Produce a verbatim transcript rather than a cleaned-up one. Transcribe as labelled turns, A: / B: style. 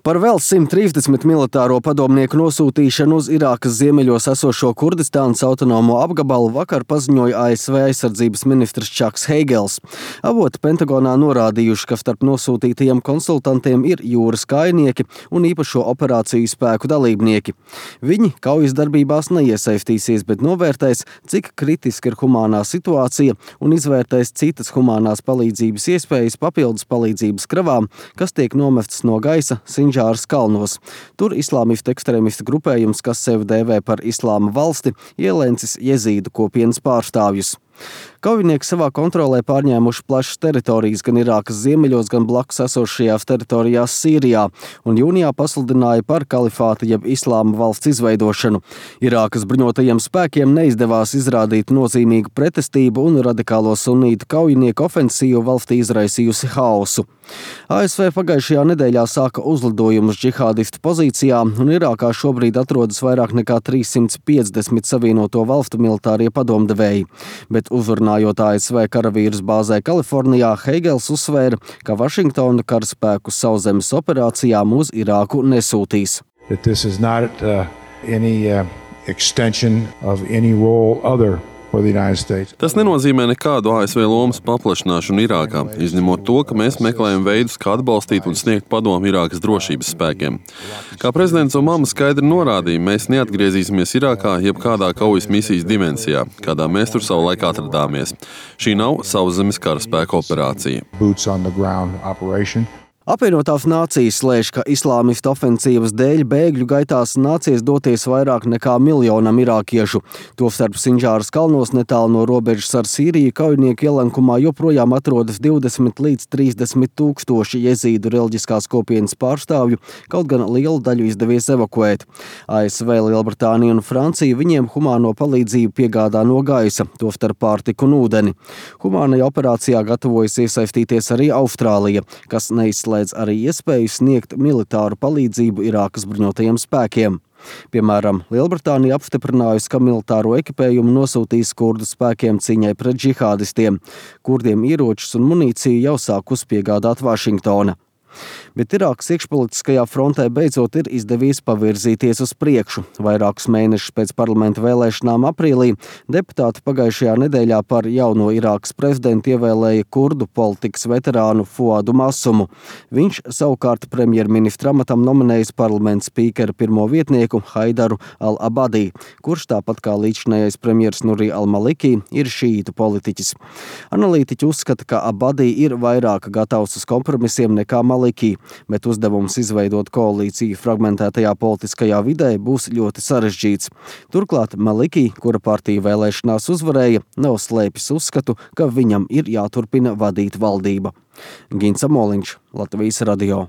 A: Par vēl simt trīsdesmit militāro padomnieku nosūtīšanu uz Irākas ziemeļos esošo Kurdistānas autonomo apgabalu vakar paziņoja A S V aizsardzības ministrs Čaks Heigels. Avoti Pentagonā norādījuši, ka starp nosūtītajiem konsultantiem ir jūras kājnieki un īpašo operāciju spēku dalībnieki. Viņi kaujas darbībās neiesaistīsies, bet novērtēs, cik kritiska ir humānā situācija un izvērtēs citas humānās palīdzības iespējas papildus palīdzības kravām, kas tiek nomestas no gaisa Sinžāras kalnos. Tur islāmistu ekstrēmistu grupējums, kas sevi dēvē par Islāma valsti, ielēncis jezīdu kopienas pārstāvjus. Kaujinieki savā kontrolē pārņēmuši plašas teritorijas gan Irākas ziemeļos, gan blakus esošajās teritorijās Sīrijā, un jūnijā pasludināja par kalifāta jeb Islāma valsts izveidošanu. Irākas bruņotajiem spēkiem neizdevās izrādīt nozīmīgu pretestību, un radikālo sunītu kaujinieku ofensīvu valstī izraisījusi haosu. A S V pagājušajā nedēļā sāka uzlidojumus džihādistu pozīcijām, un Irākā šobrīd atrodas vairāk nekā trīssimt piecdesmit savienoto valstu militārie padomdevēji. Bet uzrunājot A S V karavīrus bāzē Kalifornijā, Heigels uzsvēra, ka Vašingtona karaspēku sauszemes operācijām uz Irāku nesūtīs.
B: That this is not uh, any uh, extension of any role other for the United States.
C: Tas nenozīmē nekādu A S V lomas paplašināšanu Irākā, izņemot to, ka mēs meklējam veidus, kā atbalstīt un sniegt padomu Irākas drošības spēkiem. Kā prezidents Obama skaidri norādīja, mēs neatgriezīsimies Irākā jebkādā kaujas misijas dimensijā, kādā mēs tur savulaik atradāmies. Šī nav sauszemes karaspēka operācija.
B: Boots on the ground operation.
A: Apvienotās nācijas slēdz, ka islāmistu ofensīvas dēļ bēgļu gaitās nācies doties vairāk nekā miljonam irākiešu. Tostarp Sinžāras kalnos netālu no robežas ar Sīriju kaujinieku ielenkumā joprojām atrodas divdesmit līdz trīsdesmit tūkstoši jezīdu reliģiskās kopienas pārstāvju, kaut gan lielu daļu izdevies evakuēt. A S V, Lielbritānija un Francija viņiem humāno palīdzību piegādā no gaisa, tostarp pārtiku un ūdeni. Humānajā operācijā gatavojas iesaistīties arī Austrālija, kas neizslēdz arī iespēju sniegt militāru palīdzību Irākas bruņotajiem spēkiem. Piemēram, Lielbritānija apstiprinājusi, ka militāro ekipējumu nosūtīs kurdu spēkiem cīņai pret džihādistiem. Kurdiem ieročus un munīciju jau sāk uzpiegādāt Vašingtona. Bet Irākas iekšpolitiskajā frontē beidzot ir izdevies pavirzīties uz priekšu. Vairākus mēnešus pēc parlamenta vēlēšanām aprīlī deputāti pagājušajā nedēļā par jauno Irākas prezidentu ievēlēja kurdu politikas veterānu Fuadu Masumu. Viņš savukārt premjerministra amatam nominējis parlamenta spīkera pirmo vietnieku Haidaru al-Abadī, kurš tāpat kā līdzinājais premjers Nuri al-Maliki ir šīitu politiķis. Analītiķi uzskata, ka Abadī ir vairāk gatavs uz kompromisiem nekā Maliki, bet uzdevums izveidot koalīciju fragmentētajā politiskajā vidē būs ļoti sarežģīts. Turklāt Maliki, kura partija vēlēšanās uzvarēja, nav slēpis uzskatu, ka viņam ir jāturpina vadīt valdība. Gins Amoliņš, Latvijas radio.